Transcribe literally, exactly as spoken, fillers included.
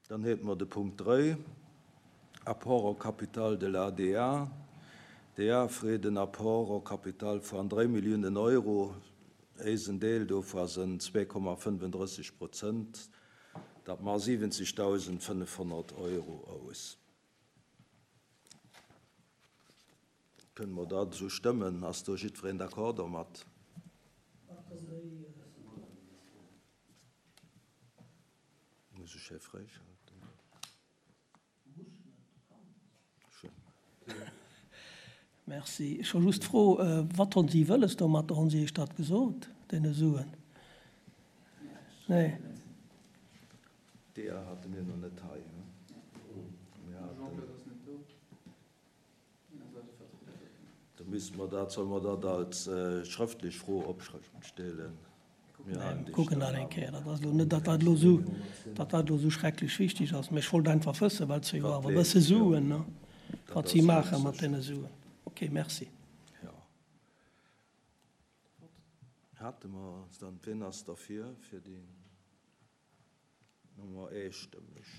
Dann hätte mer de Punkt dräi, Apport au capital de la A D A. D A freet en Apport au capital vun dräi Milliounen Euro. Eisen Deel dovu sinn zwee Komma fënnefundrësseg Prozent. Dat maacht siwwenzegdausendfënnefhonnert Euro aus. Kënne mer dat esou stëmmen? Ass do jiddwereen d'accord domat? Muss ech hei fräischalten? Schön. Merci. Ech hu just d'Fro, wat hunn si wëlles domat? Hunn si iech dat gesot, deene Suen? Nee. D A hate mir nach net hei. Mir haten, da misste mer dat, solle mer dat als äh, schrëftlech Fro opstellen? Mir halen déi Kucken dat eng Kéier. Dat ass lo net, datt dat lo sou, datt dat lo sou schrecklech wichteg ass. Mee ech wollt einfach wëssen, well se jo Wat awer e bësse leeft, jo. Suen, ne? Dat Wat si ass maache ganz mat sécher. deene Suen. Okay, merci. Ja. Hate mer dann, wien ass derfir fir déi Nummer eestëmmeg?